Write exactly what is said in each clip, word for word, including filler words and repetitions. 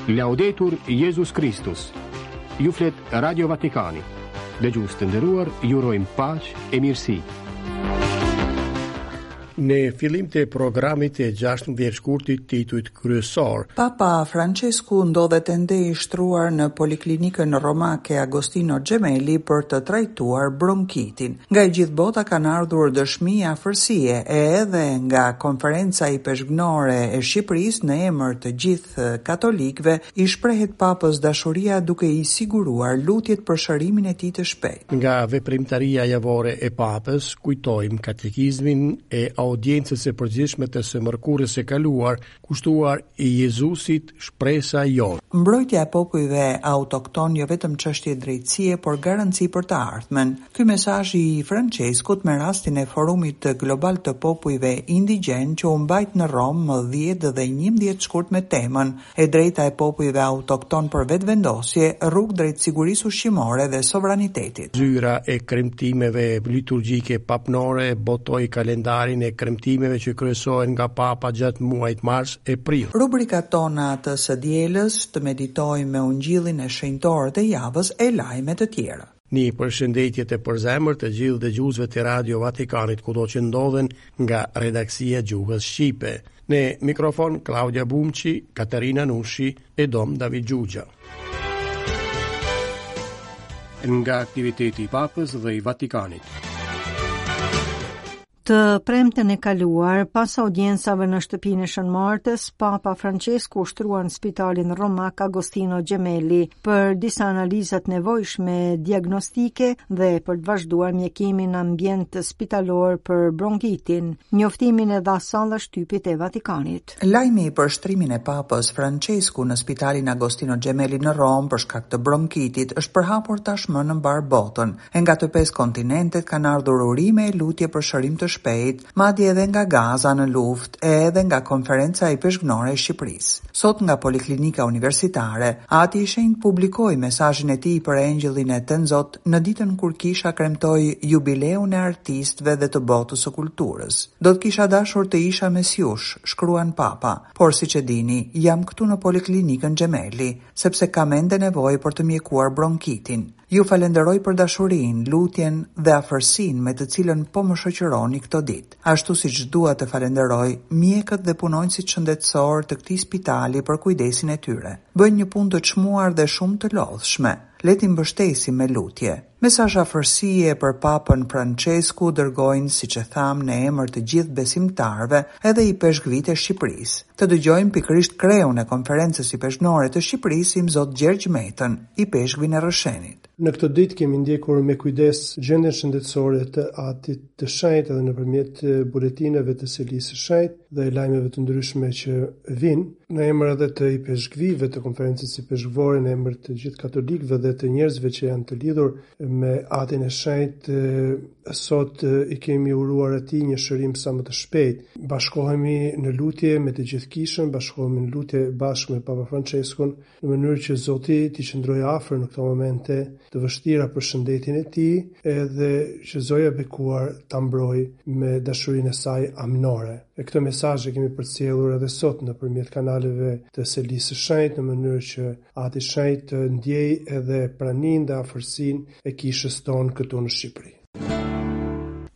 Laudetur Jezus Kristus. Ju flet Radio Vatikani. Dëgjues të nderuar, ju urojmë paqe e mirësi. Në fillim të programit të gjashtëmbëdhjetë shkurtit titujt kryesor. Papa Francesku ndodhet ende i shtruar në poliklinikën romake Agostino Gemelli për të trajtuar bronkitin. Nga e gjithë bota kanë ardhur dëshmi afërsie e edhe nga konferenca ipeshkvnore e Shqipërisë në emër të gjithë katolikëve i shprehet Papës dashuria duke i siguruar lutjet për shërimin e tij të shpejtë. Nga veprimtaria javore e Papës kujtojmë katekizmin e audiencës së përgjithshme të së mërkurës së kaluar, kushtuar i Jezusit shpresa jonë. Mbrojtja e popujve autokton jo vetëm çështje drejtësie, por garanci për të ardhmen. Ky mesazh i Franceskut me rastin e forumit global të popujve indigjen që u mbajt në Romë më dhjetë dhe njëmbëdhjetë shkurt me temën E drejta e popujve autokton për vetëvendosje, rrugë drejt sigurisë ushqimore dhe sovranitetit. Zyra e kremtimeve liturgjike papnore botoi kalendarin e kremtimeve që kryesohen nga Papa gjatë muajit mars e prill. Rubrikat tona të së dielës, të meditojmë me ungjillin e shenjtorët e javës e lajme të tjera. Një përshëndetje të përzemër të gjithë dëgjuesve të Radio Vatikanit kudo që ndodhen nga redaksia gjuhës shqipe. Në mikrofon Klaudia Bumçi, Katerina Nushi e Dom David Gjugja. Nga aktiviteti i Papës dhe i Vatikanit. Të premten e kaluar, pas audiencave në shtëpinë e Shën Martës, Papa Francesku u shtrua në spitalin romak Agostino Gemelli për disa analiza të nevojshme diagnostike dhe për të vazhduar mjekimin në ambient spitalor për bronkitin. Njoftimin e dha salla shtypit e Vatikanit. Lajmi për shtrimin e Papës Francesku në spitalin Agostino Gemelli në Romë për shkak të bronkitit është përhapur tashmë në mbar botën. E nga të pesë kontinentet kanë ardhur urime e lutje për shërim të shpejt, madje edhe nga Gaza në luftë e edhe nga konferenca ipeshkvnore e Shqipërisë. Sot nga Poliklinika Universitare, Ati i Shenjtë publikoi mesazhin e tij për Engjëllin e Tenzot në ditën kur kisha kremtoi jubileun e artistëve dhe të botës së kulturës. Do të kisha dashur të isha mes jush, shkruan Papa, por siç e dini, jam këtu në Poliklinikën Gemelli, sepse kam ende nevojë për të mjekuar bronkitin. Ju falenderoj për dashurinë, lutjen dhe afërsinë me të cilën po më shoqëroni këto ditë. Ashtu siç dua të falenderoj mjekët dhe punonjësit shëndetësor të këtij spitali për kujdesin e tyre. Bëjnë një punë të çmuar dhe shumë të lodhshme. Le t'i mbështesim me lutje. Mesazh afërsie për Papën Francesku dërgojnë, siç e tham, në emër të gjithë besimtarëve, edhe i peshkvit e Shqipërisë. Të dëgjojmë pikërisht kreun e konferencës ipeshkvnore të Shqipërisë, Imzot Gjergj Metën, i peshkvin e Rrëshenit. Në këtë ditë kemi ndjekur me kujdes gjendjen shëndetësore të Atit të Shenjtë edhe nëpërmjet buletineve të Selisë së Shenjtë dhe lajmeve të ndryshme që vijnë në emër edhe të ipeshkvive të konferencës ipeshkvore, në emër të gjithë katolikëve dhe të njerëzve që janë të lidhur me Atin e Shenjtë, sot i kemi uruar atij një shërim sa më të shpejtë. Bashkohemi në lutje me të gjithë kishën, bashkohemi në lutje bashkë me Papa Franceskun, në mënyrë që Zoti t'i qëndrojë afër në këto momente të vështira për shëndetin e tij, edhe që Zoja e bekuar ta mbrojë me dashurinë e saj amnore. E këtë mesazh e kemi përcjellur edhe sot nëpërmjet kanaleve të Selisë së Shenjtë, në mënyrë që Ati i Shenjtë të ndjejë edhe praninë dhe afërsinë e kishës tonë këtu në Shqipëri.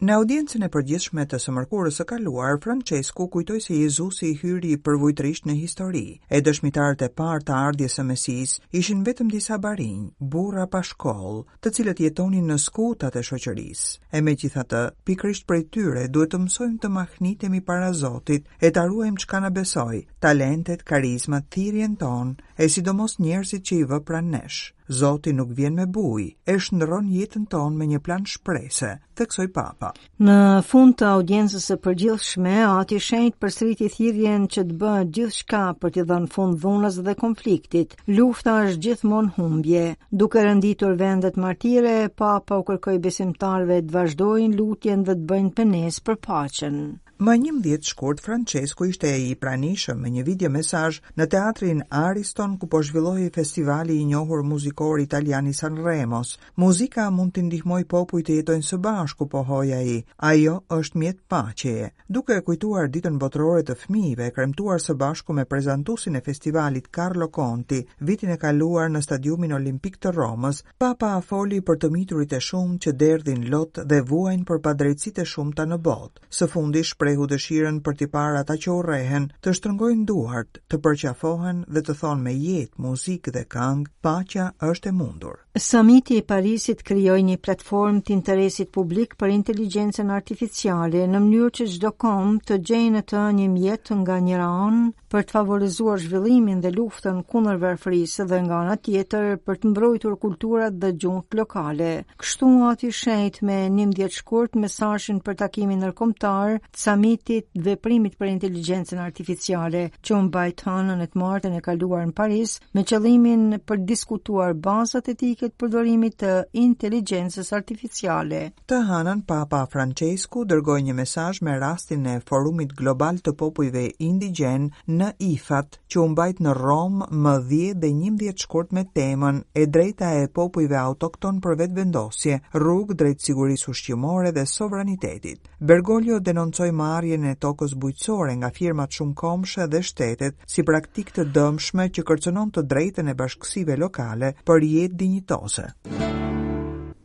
Në audiencën e përgjithshme të së mërkurës së kaluar, Francesku kujtoi se Jezusi hyri përvujtërisht në histori, e dëshmitarët e parë të ardhjes së Mesisë ishin vetëm disa barinj, burra pa shkollë, të cilët jetonin në skutat e shoqërisë. E megjithatë, pikërisht prej tyre duhet të mësojmë të mahnitemi para Zotit e ta ruajmë çka na besoi, talentet, karizmat, thirrjen tonë, e sidomos njerëzit që i vë pranë nesh. Zoti nuk vjen me bujë, e shndërron jetën tonë me një plan shprese, theksoi Papa. Në fund të audiencës së përgjithshme, Ati i Shenjtë përsëriti thirrjen që të bëhet gjithçka për t'i dhënë fund dhunës dhe konfliktit. Lufta është gjithmonë humbje. Duke renditur vendet martire, Papa u kërkoi besimtarëve të vazhdojnë lutjen dhe të bëjnë penesë për paqen. Më njëmbëdhjetë shkurt, Francesku ishte i pranishëm me një video mesazh në teatrin Ariston, ku po zhvillohej festivali i njohur muzikor italian i Sanremos. Muzika mund t'i ndihmojë popujt të jetojnë së bashku, pohoi ai. Ajo është mjet paqeje. Duke kujtuar Ditën Botërore të Fëmijëve, kremtuar së bashku me prezantuesin e festivalit Carlo Conti vitin e kaluar në Stadiumin Olimpik të Romës, Papa foli për të miturit e shumtë që derdhin lot dhe vuajnë për padrejtësitë e shumta në botë. Së fundi shprehu dëshirën për t'i parë ata që urrehen, të shtrëngojnë duart, të përqafohen dhe të thonë me jetë, muzikë dhe këngë, paqja është e mundur. Samiti i Parisit krijoi një platformë të interesit publik për inteligjencën artificiale në mënyrë që çdo komb të gjejë në të një mjet nga njëra anë për të favorizuar zhvillimin dhe luftën kundër varfërisë dhe nga ana tjetër për të mbrojtur kulturat dhe gjuhët lokale. Kështu Ati i Shenjtë me njëmbëdhjetë shkurt mesazhin për takimin ndërkombëtar të samitit të veprimit për inteligjencën artificiale që u mbajt hënën e të martën e kaluar në Paris me qëllimin për të diskutuar bazat etike të përdorimit të inteligjencës artificiale. Të hënën, Papa Francesku dërgoi një mesazh me rastin e Forumit Global të Popujve Indigjen në I F A T, që u mbajt në Romë më dhjetë dhe njëmbëdhjetë shkurt me temën E drejta e popujve autokton për vetëvendosje, rrugë drejt sigurisë ushqimore dhe sovranitetit. Bergoglio denoncoi marrjen e tokës bujqësore nga firmat shumëkombëshe dhe shtetet si praktikë të dëmshme që kërcënon të drejtën e bashkësive lokale për jetë dinjitoze.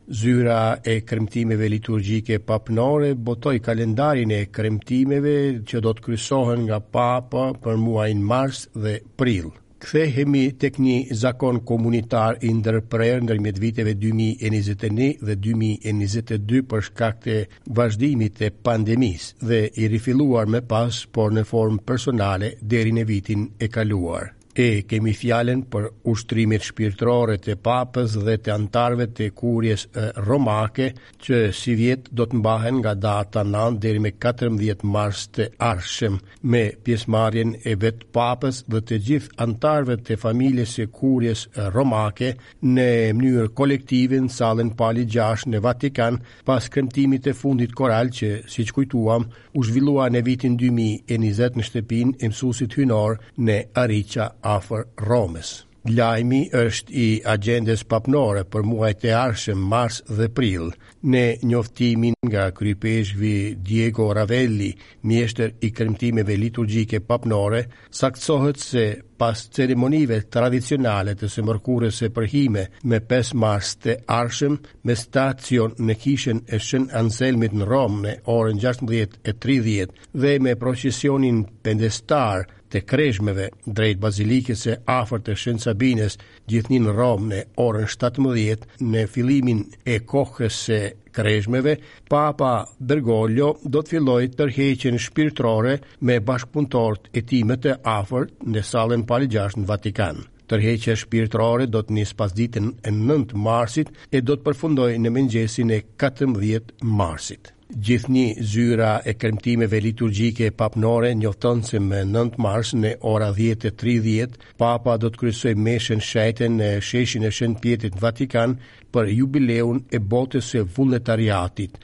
Zyra e kremtimeve liturgjike papnore botoi kalendarin e kremtimeve që do të kryesohen nga Papa për muajin mars dhe prill. Kthehemi tek një zakon komunitar i ndërprerë ndërmjet viteve dy mijë e njëzet e një dhe dy mijë e njëzet e dy për shkak të vazhdimit të pandemisë dhe i rifilluar më pas, por në formë personale deri në vitin e kaluar. E kemi fjalën për ushtrimet shpirtërore të papës dhe të anëtarëve të kurjes romake që si vjet do të mbahen nga data nëntë deri me katërmbëdhjetë mars të ardhshëm, me pjesëmarrjen e vetë papës dhe të gjithë anëtarëve të familjes së kurjes romake në mënyrë kolektive në sallën Pali gjashtë në Vatikan, pas kremtimit të fundit koral që, siç kujtuam, u zhvillua në vitin dy mijë e njëzet në shtëpinë e mësuesit hynor në Arica afër Romës. Lajmi është i agjendës papnore për muajt e ardhshëm, mars dhe prill. Në njoftimin nga kryepeshkvi Diego Ravelli, mjeshtër i kremtimeve liturgjike papnore, saktësohet se pas ceremonive tradicionale të së mërkurës së përhime me pesë mars të ardhshëm, me stacion në kishën e Shën Anselmit në Romë në orën gjashtëmbëdhjetë e tridhjetë dhe me procesionin pendestar të kreshmeve drejt bazilikës së afërt të Shën Sabinës, gjithnjë në Romë në orën shtatëmbëdhjetë, në fillimin e kohës së kreshmeve, Papa Bergoglio do të fillojë tërheqjen shpirtërore me bashkëpunëtorët e tij më të afërt në sallën Pali gjashtë në Vatikan. Tërheqja shpirtërore do të nisë pasditen e nëntë marsit e do të përfundojë në mëngjesin e katërmbëdhjetë marsit. Gjithnjë zyra e kremtimeve liturgjike papnore njofton se më nëntë mars në ora dhjetë e tridhjetë Papa do të kryesojë meshën shenjte në sheshin e Shën Pjetrit në Vatikan për jubileun e botës së vullnetariatit.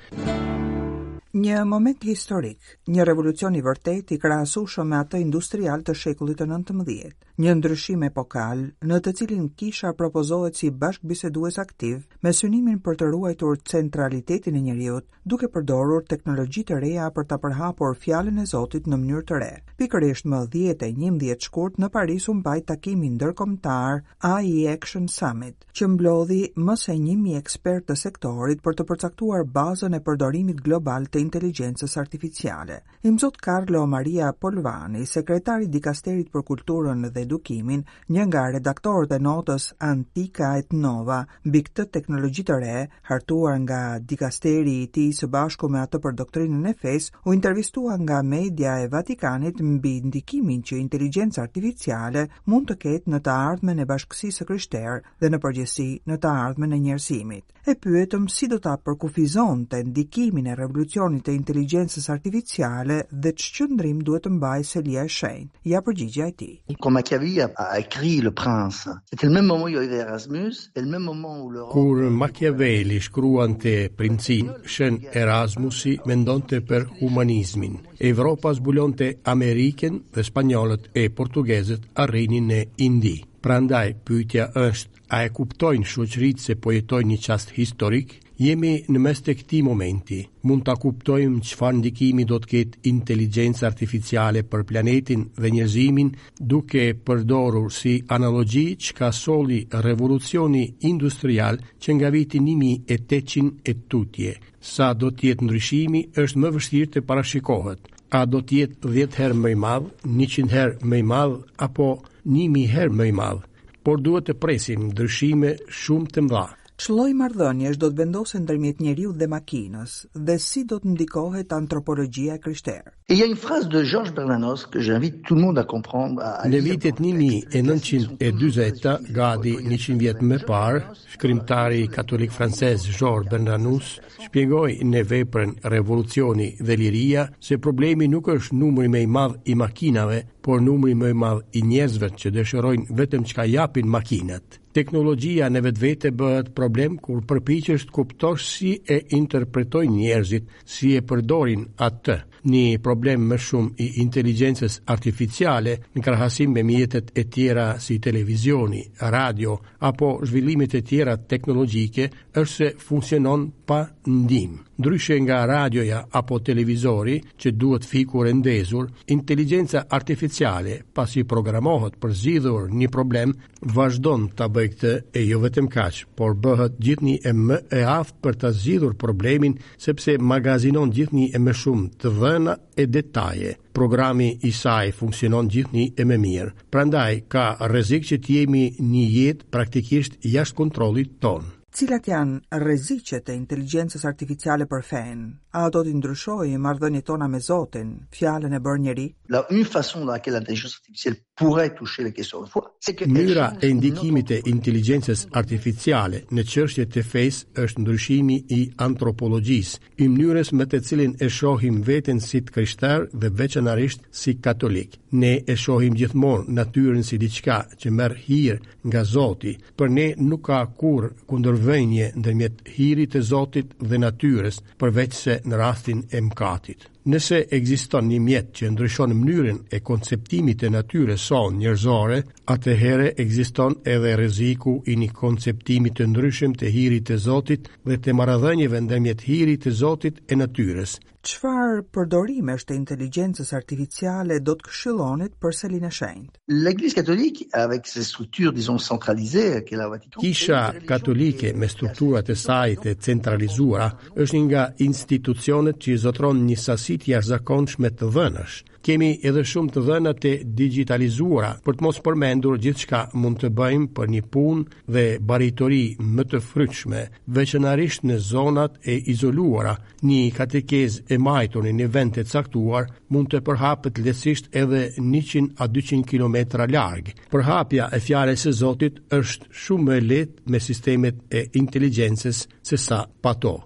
Një moment historik, një revolucion i vërtetë i krahasueshëm me atë industrial të shekullit të nëntëmbëdhjetë, një ndryshim epokal në të cilin kisha propozohet si bashkëbisedues aktiv me synimin për të ruajtur centralitetin e njeriut, duke përdorur teknologji të reja për ta përhapur fjalën e Zotit në mënyrë të re. Pikërisht më dhjetë e njëmbëdhjetë shkurt në Paris u mbajt takimi ndërkombëtar A I Action Summit, që mblodhi më se një mijë ekspertë të sektorit për të përcaktuar bazën e përdorimit global të inteligjencës artificiale. Imzot Carlo Maria Polvani, sekretari i dikasterit për kulturën dhe edukimin, një nga redaktorët e notës Antica et Nova mbi këtë teknologji të re, hartuar nga dikasteri i tij së bashku me atë për doktrinën e fesë, u intervistua nga media e Vatikanit mbi ndikimin që inteligjenca artificiale mund të ketë në të ardhmen e bashkësisë së krishterë dhe në përgjithësi në të ardhmen e njerëzimit. E pyetëm si do ta përkufizonte ndikimin e revolucionit revolucionit të inteligjencës artificiale dhe ç'qëndrim duhet të mbajë Selia e Shenjtë. Ja përgjigjja e tij. Quand Machiavelli a écrit Le Prince, c'était le même moment où il y avait Erasmus et le même moment où l'Europe Kur Machiavelli shkruante Princin, Shën Erasmusi mendonte për humanizmin. Evropa zbulonte Amerikën dhe spanjollët e portugezët arrinin në Indi. Prandaj pyetja është, a e kuptojnë shoqëritë se po jetojnë një çast historik? Jemi në mes të këtij momenti. Mund ta kuptojmë çfarë ndikimi do të ketë inteligjenca artificiale për planetin dhe njerëzimin, duke përdorur si analogji çka solli revolucioni industrial që nga viti një mijë e tetëqind e tutje. Sa do të jetë ndryshimi është më vështirë të parashikohet. A do të jetë dhjetë herë më i madh, njëqind herë më i madh apo një mijë herë më i madh? Por duhet të presim ndryshime shumë të mëdha. Ç'lloj marrëdhëniesh do të vendosen ndërmjet njeriu dhe makinës dhe si do të ndikohet antropologjia e krishterë? Et il y a une phrase de Georges Bernanos que j'invite tout le monde à comprendre, à Në lire vitet dans le një mijë texte. e nëntëqind e dyzeta, gati njëqind vjet më parë, shkrimtari katolik francez Georges Bernanos shpjegoi në veprën Revolucioni dhe Liria se problemi nuk është numri më i madh i makinave, por numri më i madh i njerëzve që dëshirojnë vetëm çka japin makinat. Teknologjia në vetvete bëhet problem kur përpiqesh të kuptosh si e interpretojnë njerëzit, si e përdorin atë. Një problem më shumë i inteligjencës artificiale në krahasim me mjetet e tjera si televizioni, radio apo zhvillimet e tjera teknologjike është se funksionon pa ndihmë. Ndryshe nga radioja apo televizori që duhet fikur e ndezur, inteligjenca artificiale, pasi programohet për zgjidhur një problem, vazhdon ta bëjë këtë e jo vetëm kaq, por bëhet gjithnjë e më e aftë për ta zgjidhur problemin, sepse magazinon gjithnjë e më shumë të dhëna e detaje. Programi i saj funksionon gjithnjë e më mirë. Prandaj ka rrezik që të jemi një jetë praktikisht jashtë kontrollit tonë. Cilat janë rreziqet e inteligjencës artificiale për fenë? A do t'i ndryshojë marrëdhëniet tona me Zotin, fjalën e bërë njeri? La une façon dans laquelle l'intelligence artificielle pourrait toucher les questions de foi, c'est que Mënyra e ndikimit të inteligjencës artificiale në çështjet e fesë është ndryshimi i antropologjisë, i mënyrës me të cilin e shohim veten si të krishterë dhe veçanërisht si katolik. Ne e shohim gjithmonë natyrën si diçka që merr hir nga Zoti. Për ne nuk ka kurrë kundërvënie ndërmjet hirit të Zotit dhe natyrës, përveç se në rastin e mëkatit. Nëse ekziston një mjet që ndryshon mënyrën e konceptimit të natyrës sonë njerëzore, atëherë ekziston edhe rreziku i një konceptimi të ndryshëm të hirit të Zotit dhe të marrëdhënieve ndërmjet hirit të Zotit e natyrës. Çfarë përdorimesh të inteligjencës artificiale do të këshillonit për Selinë e Shenjtë? L'Église catholique, avec ses structures, disons, centralisées, qu'est la Vatican, Kisha katolike me strukturat e saj të centralizuara është një nga institucionet që zotron një sasi të jashtëzakonshme të dhënash. Kemi edhe shumë të dhëna të digjitalizuara, për të mos përmendur gjithçka mund të bëjmë për një punë dhe baritori më të frytshme, veçanërisht në zonat e izoluara. Një katekezë e majtur në një vend të caktuar mund të përhapet lehtësisht edhe njëqind a dyqind kilometra larg. Përhapja e fjalës së Zotit është shumë më e lehtë me sistemet e inteligjencës se sa pa to.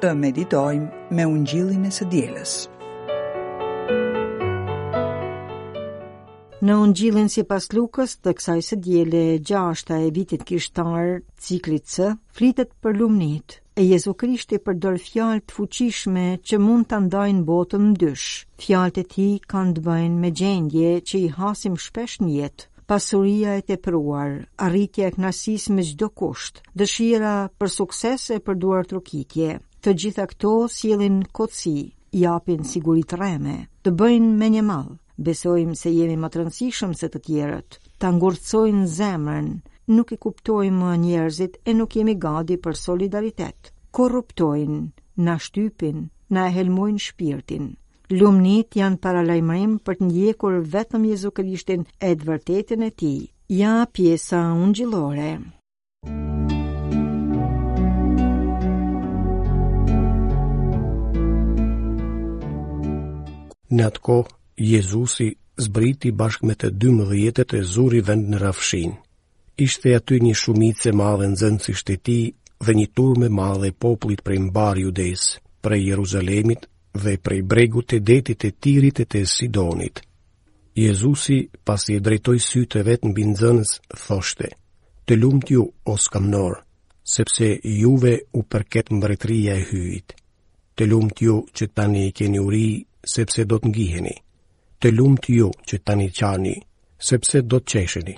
Të meditojmë me Ungjillin e së dielës. Në Ungjillin sipas Lukës të kësaj së diele gjashta e vitit kishtar, ciklit C, flitet për lumnit. E Jezu Krishti përdor fjalë të fuqishme që mund ta ndajnë botën në dysh. Fjalët e tij kanë të bëjnë me gjendje që i hasim shpesh në jetë. Pasuria e tepruar, arritja e kënaqësisë me çdo kusht, dëshira për sukses e për duartrokitje. Të gjitha këto sjellin kotësi, japin siguri të rreme, të bëjnë me një mall. Besojmë se jemi më të rëndësishëm se të tjerët, ta ngurtësojnë zemrën, nuk i kuptojmë më njerëzit e nuk jemi gati për solidaritet. Korruptojnë, na shtypin, na e helmojnë shpirtin. Lumnit janë paralajmërim për të ndjekur vetëm Jezu Krishtin e të vërtetën e tij. Ja pjesa ungjillore. Në atë kohë, Jezusi zbriti bashkë me të dymbëdhjetët e zuri vend në rrafshin. Ishte aty një shumicë e madhe nxënësish të tij dhe një turmë e madhe e popullit prej mbarë Judesë, prej Jeruzalemit dhe prej bregut të detit të Tirit e të Sidonit. Jezusi, pasi e drejtoi sytë e vet mbi nxënës, thoshte: Të lumt ju, o skamnor, sepse juve u përket mbretëria e Hyjit. Të lumt ju që tani keni uri, sepse do të ngiheni. Të lumt ju që tani qani, sepse do të qesheni.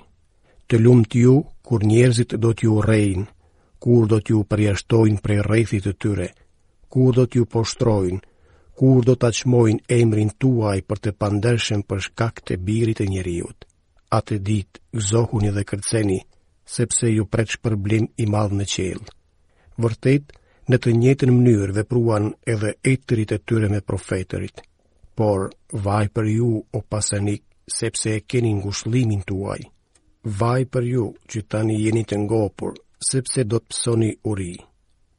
Të lumt ju kur njerëzit do t'ju urrejnë, kur do t'ju përjashtojnë prej rrethit të tyre, kur do t'ju poshtrojnë, kur do ta çmojnë emrin tuaj për të pandershëm për shkak të birit të njeriut. Atë ditë gëzohuni dhe kërceni, sepse ju pret shpërblim i madh në qiell. Vërtet, në të njëjtën mënyrë vepruan edhe etërit e tyre me profetërit. Por vaj për ju, o pasanik, sepse e keni ngushëllimin tuaj. Vaj për ju që tani jeni të ngopur, sepse do të pësoni uri.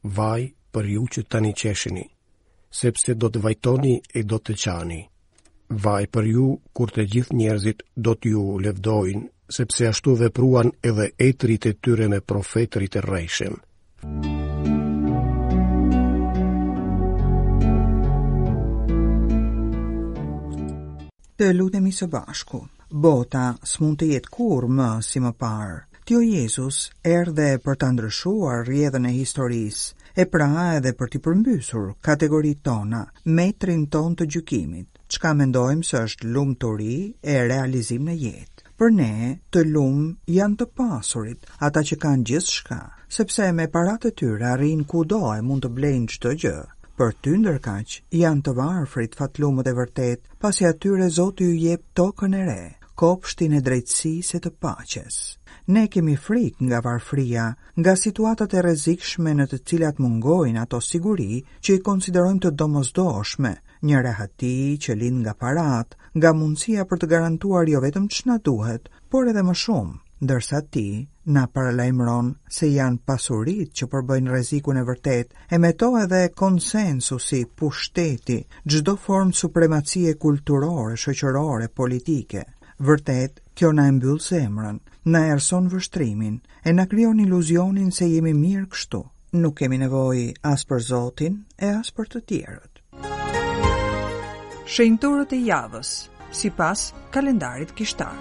Vaj për ju që tani qesheni, sepse do të vajtoni e do të qani. Vaj për ju kur të gjithë njerëzit do t'ju lëvdojnë, sepse ashtu vepruan edhe etërit e tyre me profetërit e rrejshëm. Të lutemi së bashku. Bota s'mund të jetë kurrë më si më parë. Ti o Jezus erdhe për ta ndryshuar rrjedhën e historisë, e pra edhe për t'i përmbysur kategoritë tona, metrin ton të gjykimit, çka mendojmë se është lumturi e realizim në jetë. Për ne, të lum janë të pasurit, ata që kanë gjithçka, sepse me paratë e tyre arrijnë kudo e mund të blejnë çdo gjë. Për ty ndërkaq janë të varfrit fatlumët e vërtet, pasi atyre Zoti ju jep tokën e re, kopshtin e drejtësisë e të paqes. Ne kemi frikë nga varfria, nga situatat e rrezikshme në të cilat mungojnë ato siguri që i konsiderojmë të domosdoshme, një rehati që lind nga parat, nga mundësia për të garantuar jo vetëm ç'na duhet, por edhe më shumë, ndërsa ti na paralajmëron se janë pasuritë që përbëjnë rrezikun e vërtet, e me to edhe konsensusi, pushteti, çdo formë supremacie kulturore, shoqërore, politike. Vërtet, kjo na e mbyll zemrën, na errëson vështrimin, e na krijon iluzionin se jemi mirë kështu. Nuk kemi nevojë as për Zotin e as për të tjerët. Shenjtorët e javës, sipas kalendarit kishtar.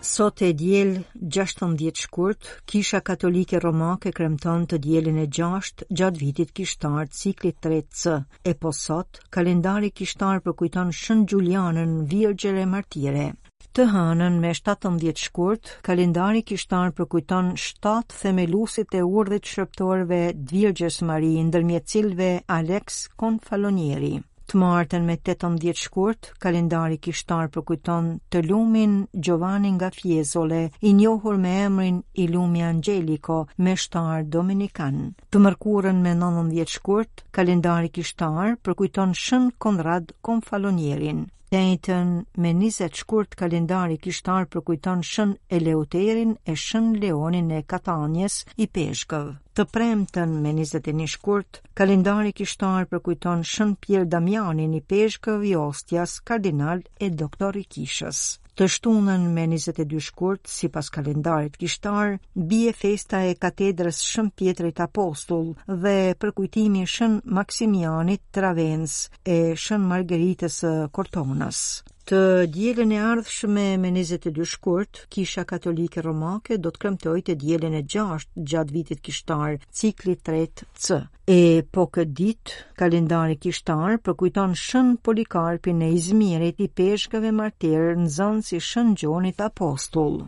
Sot e diel gjashtëmbëdhjetë shkurt, Kisha Katolike Romake kremton të dielën e gjashtë gjatë vitit kishtar ciklit tre C. E po sot, kalendari kishtar përkujton Shën Xhulianën, Virgjër e Martire. Të hënën me shtatëmbëdhjetë shkurt, kalendari kishtar përkujton shtatë themeluesit e urdhrit shërbëtorëve të Virgjës Mari, ndërmjet cilëve Alex Confalonieri. Të martën me tetëmbëdhjetë shkurt, kalendari kishtar përkujton të lumin Giovanni nga Fiesole, i njohur me emrin i Lumi Angelico, meshtar dominikan. Të mërkurën me nëntëmbëdhjetë shkurt, kalendari kishtar përkujton Shën Konrad Confalonierin. Të enjten me njëzet shkurt, kalendari kishtar përkujton Shën Eleuterin e Shën Leonin e Katanjes, i Peshkëv. Të premten me njëzet e një shkurt, kalendari kishtar përkujton Shën Pier Damianin, i Peshkëv i Ostias, kardinal e doktor i kishës. Të shtunën me njëzet e dy shkurt, sipas kalendarit kishtar, bie festa e katedrës Shën Pjetrit Apostull dhe përkujtimi Shën Maksimianit Travens e Shën Margaritës së Kortonës. Të dielën e ardhshme me njëzet e dy shkurt, Kisha Katolike Romake do të kremtojë të dielën e gjashtë gjatë vitit kishtar, cikli tre C. E po këtë ditë, kalendari kishtar përkujton Shën Polikarpin e Izmirit, i peshkëve martir, nxënës i Shën Gjonit Apostull.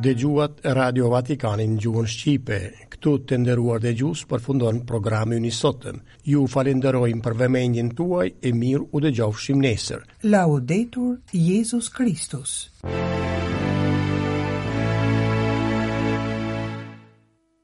Dëgjuat Radio Vatikanin në gjuhën shqipe. Këtu të nderuar dëgjues përfundon programi ynë i sotëm. Ju falenderojmë për vëmendjen tuaj e mirë u dëgjofshim nesër. Laudetur Jezus Kristus.